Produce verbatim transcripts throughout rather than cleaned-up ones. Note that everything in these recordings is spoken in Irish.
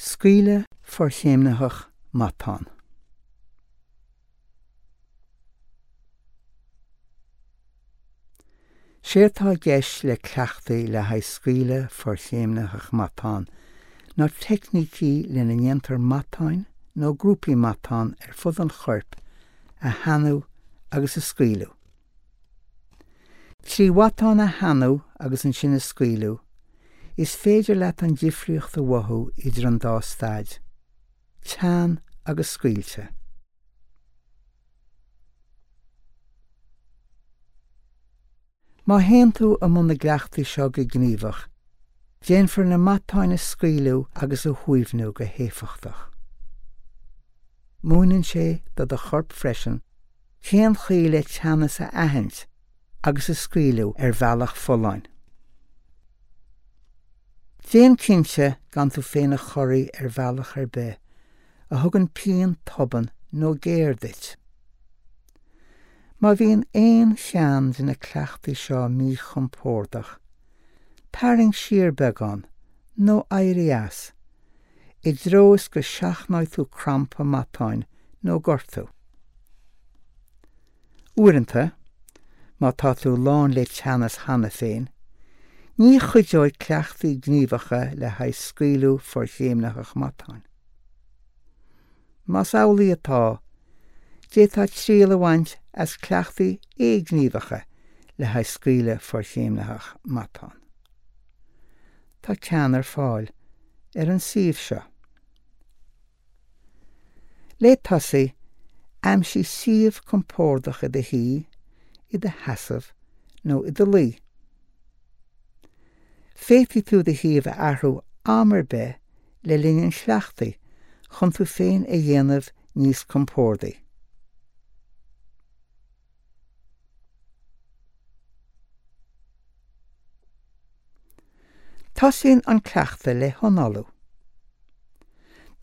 Scaoileadh forchéimnitheach matán. Sé atá i gceist le cleachtaí le haghaidh scaoileadh forchéimnitheach matán ná teicnící lena ndéantar matáin nó grúpaí matán ar fud an choirp a theannadh agus a scaoileadh. Trí mhatáin a theannadh agus ansin a scaoileadh, is féidir leat an difríocht a mhothú idir an dá staid, teann agus scaoilte. Má théann tú i mbun na gcleachtaí seo go gníomhach, déanfar na matáin a scaoileadh agus a shuaimhniú go héifeachtach. Múineann sé do do chorp freisin cén chaoi le teannas a aithint agus a scaoileadh ar bhealach folláin. Déan cinnte gan tú féin a chorraí ar bhealach ar bith a thugann pian tobann nó géar duit. Má bhíonn aon cheann de na cleachtaí seo míchompordach, tarraing siar beagán nó éirigh as, i dtreo is go seachnóidh tú crampa matáin nó gortú. Uaireanta, má tá tú lán le teannas cheana féin, ní chuideoidh cleachtaí gníomhacha le haghaidh scaoileadh forchéimnitheach matáin. Más amhlaidh atá, d'fhéadfá triail a bhaint as cleachtaí éighníomhacha le haghaidh scaoileadh forchéimnitheach matán. Tá ceann ar fáil ar an suíomh seo. Le tosaí, aimsigh suíomh compordach i do shuí, i do sheasamh nó i do luí. Féadfaidh tú do shuíomh a athrú am ar bith le linn an chleachtaidh chun tú féin a dhéanamh níos compordaí. Tosaíonn an cleachtadh le hanálú.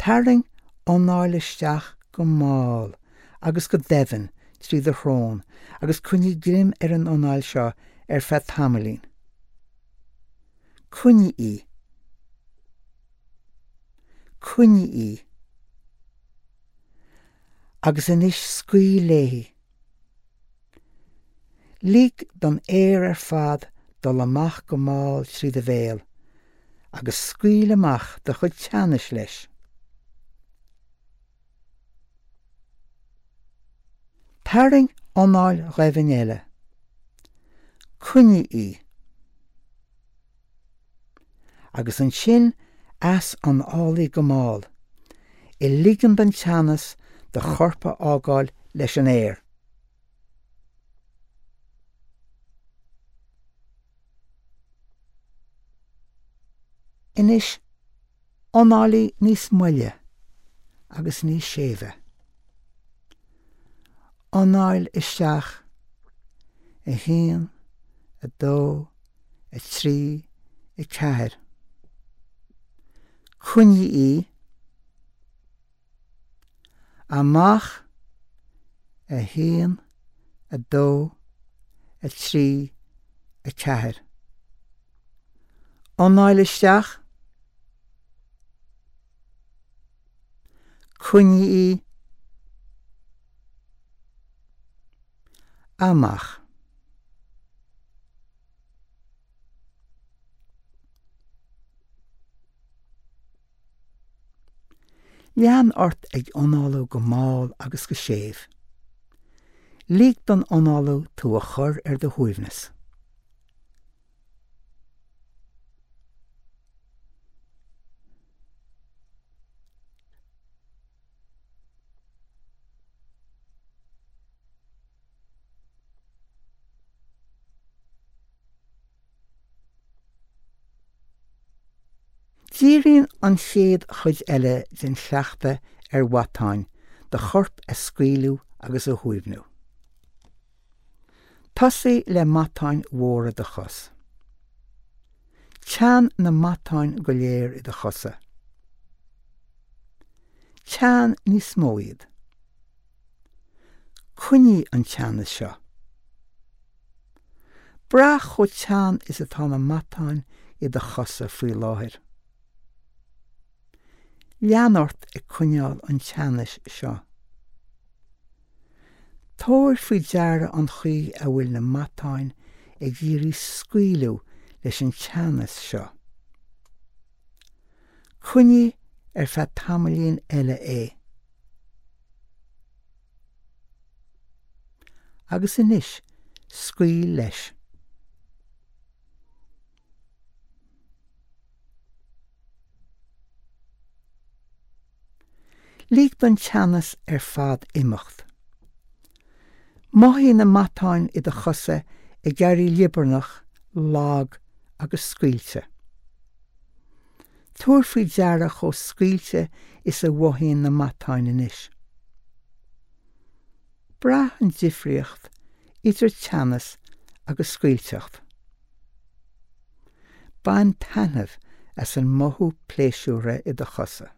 Tarraing anáil isteach go mall agus go doimhin trí do shrón agus coinnigh greim ar an anáil seo ar feadh tamaillín. Coinnigh í. Coinnigh í. Agus anois scaoil léi. Lig don aer ar fad dul amach go mall trí do bhéal, agus scaoil amach do chuid teannais leis. Tarraing anáil dhoimhin eile. Coinnigh í. Agus ansin easanálaigh go mall, ag ligean don teannas do chorp a fhágáil leis an aer. Anois, análaigh níos moille agus níos séimhe. Anáil isteach a haon, a dó, a trí, a ceathair. Coinnigh í. Amach a haon, a dó, a trí, a ceathair. Anáil isteach. Coinnigh í. Amach. Lean ort ag análú go mall agus go séimh. Lig don análú tú a chur ar do shuaimhneas. Díríonn an chéad chuid eile den chleachtadh ar mhatáin do chorp a scaoileadh agus a shuaimhniú. Tosaigh le matáin mhóra do chos. Teann na matáin go léir i do chosa. Teann níos mó iad. Coinnigh an teannas seo. Braith chomh teann is atá na matáin i do chosa faoi láthair. Lean ort ag coinneáil an teannais seo. Tabhair faoi deara an chaoi a bhfuil na matáin ag iarraidh scaoileadh leis an teannas seo. Coinnigh ar feadh tamaillín eile é. Agus anois, scaoil leis. Lig don teannas ar fad imeacht. Mothaigh na matáin i do chosa ag éirí liobarnach, lag agus scaoilte. Tabhair faoi deara chomh scaoilte is a mhothaíonn na matáin anois. Braith an difríocht idir teannas agus scaoilteacht. Bain taitneamh as an mothú pléisiúrtha i do chosa.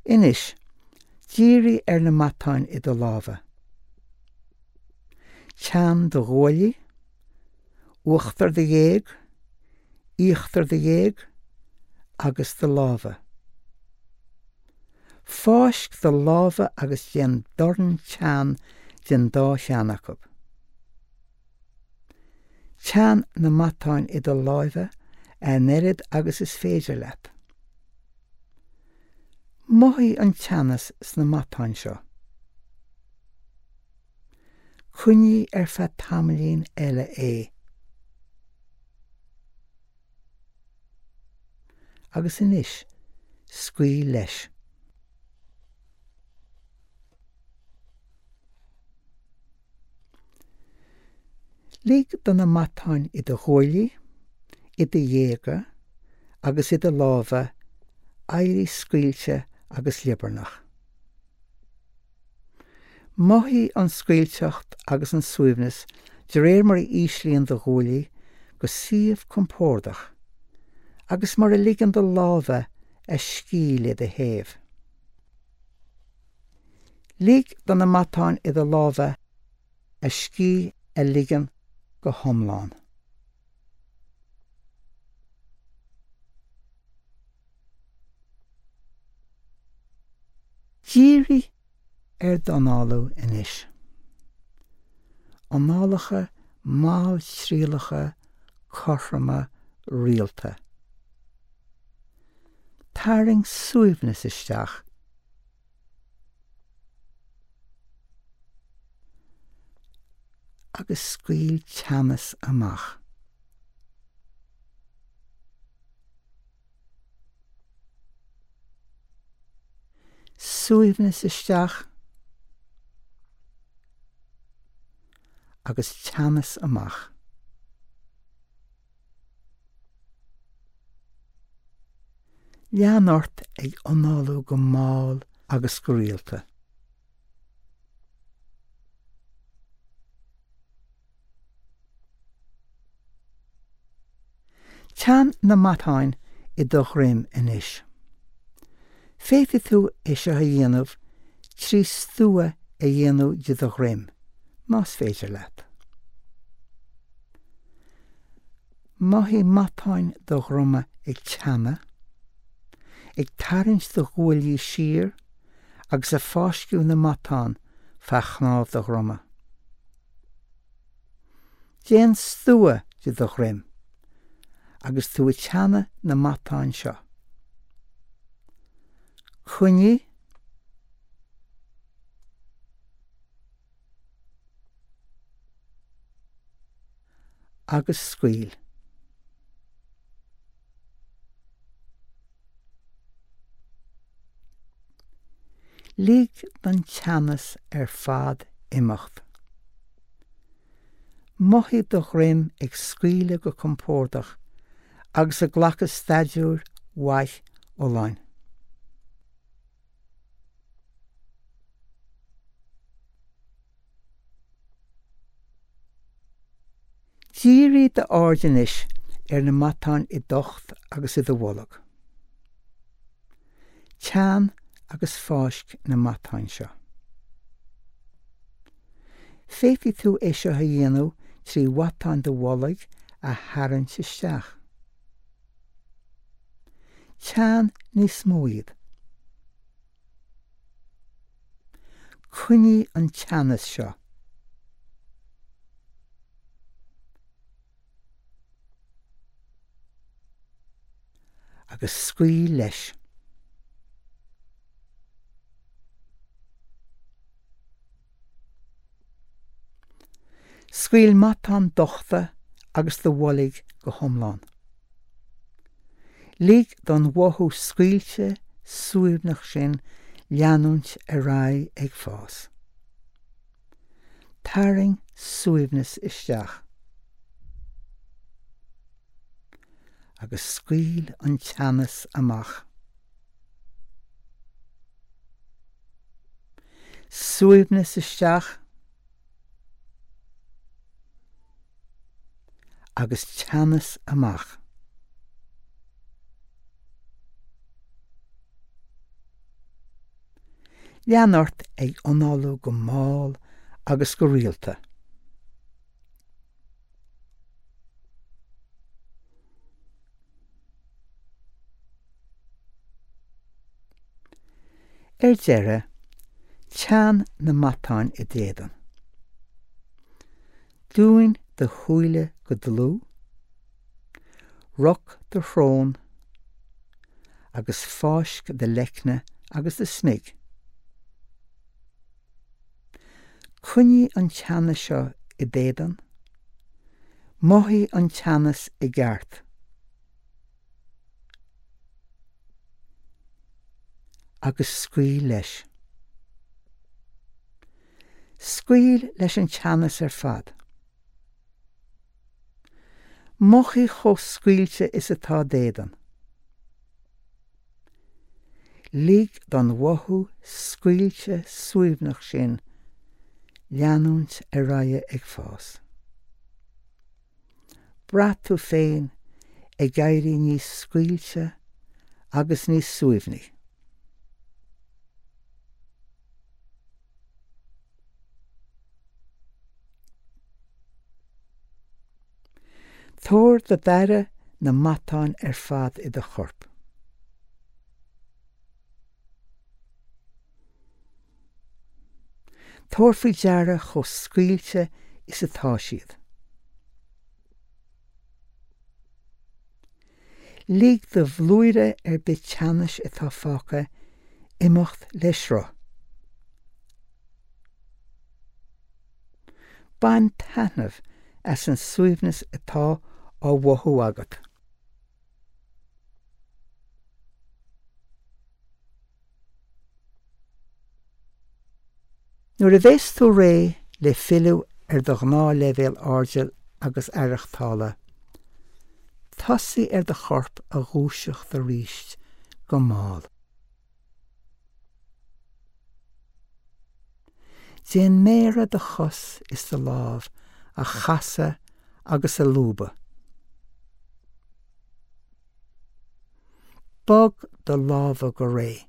Anois, dírigh ar na matáin i do lámha. Teann do ghuaillí, uachtar do ghéag, íochtar do ghéag agus do lámha. Fáisc do lámha agus déan dorn teann den dá cheann acu. Teann na matáin i do lámha an oiread agus is féidir leat. Mothaigh an teannas sna matáin seo. Coinnigh ar feadh tamaillín eile é. Agus anois, scaoil leis. Lig do na matáin i do ghuaillí, i do ghéaga agus i do lámha éirí scaoilte agus liobarnach. Mothaigh an scaoilteacht agus an suaimhneas de réir mar a íslíonn do ghuaillí go suíomh compordach agus mar a ligeann do lámha a scíth le do thaobh. Lig do na matáin i do lámha a scíth a ligean go hiomlán. Dírigh ar d'análú anois. Análacha malltriallacha cothroma rialta. Tarraing suaimhneas isteach agus scaoil teannas amach. Suaimhneas isteach agus teannas amach. Lean ort ag análú go mall agus go rialta. Teann na matáin i do dhroim anois. Féadfaidh tú é seo a dhéanamh trí stua a dhéanamh de do dhroim, más féidir leat. Mothaigh matáin do dhroma ag teannadh, ag tarraingt do ghuaillí siar agus ag fáisceadh na matán feadh chnámh do dhroma. Déan stua de do dhroim agus tú ag teannadh na matáin seo. Coinnigh agus scaoil. Lig don teannas ar fad imeacht. Mothaigh do dhroim ag scaoileadh go compordach agus ag glacadh staidiúir mhaith fholláin. Dírigh d'aird anois ar na matáin i d'ucht agus i do bholg. Teann agus fáisc na matáin seo. Féadfaidh tú é seo a dhéanamh trí mhatáin do bhoilg a tharraingt isteach. Teann níos mó iad. Coinnigh an teannas seo. Agus scaoil leis. Scaoil matáin dochta agus do bholg go hiomlán. Lig don mhothú scaoilte suaimhneach sin leanúint ar aghaidh ag fás. Tarraing suaimhneas isteach. Agus scaoil an teannas amach. Suaimhneas isteach agus teannas amach. Lean ort ag análú go mall agus go rialta. Ar deireadh, teann na matáin i d'éadan. Dún do shúile go dlúth, roc do shrón agus fáisc do leicne agus do smig. Coinnigh an teannas seo i d'éadan, mothaigh an teannas i gceart. Agus scaoil leis. Scaoil leis an teannas ar fad. Mothaigh chomh scaoilte is atá d'éadan. Lig don mhothú scaoilte suaimhneach sin leanúint ar aghaidh ag fás. Braith tú féin ag éirí níos scaoilte agus níos suaimhní. Tabhair do d'aire na matáin ar fad i do chorp. Tabhair faoi deara chomh scaoilte is atá siad. Lig do bhlúire ar bith teannais atá fágtha imeacht le sruth. Bain taitneamh as an suaimhneas atá á mhothú agat. Nuair a bheas tú réidh le filleadh ar do ghnáthleibhéal airdill agus aireachtála, tosaigh ar do chorp a dhúiseacht arís go mall. Déan méara do chos is do lámh a chasadh agus a lúbadh. Bog do lámha go réidh.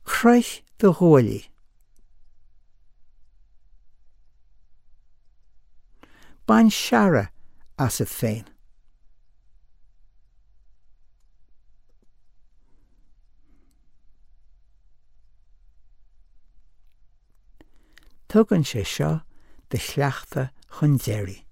Croith do ghuaillí. Bain searradh asat féin. Tugann sé seo do chleachtadh chun deiridh.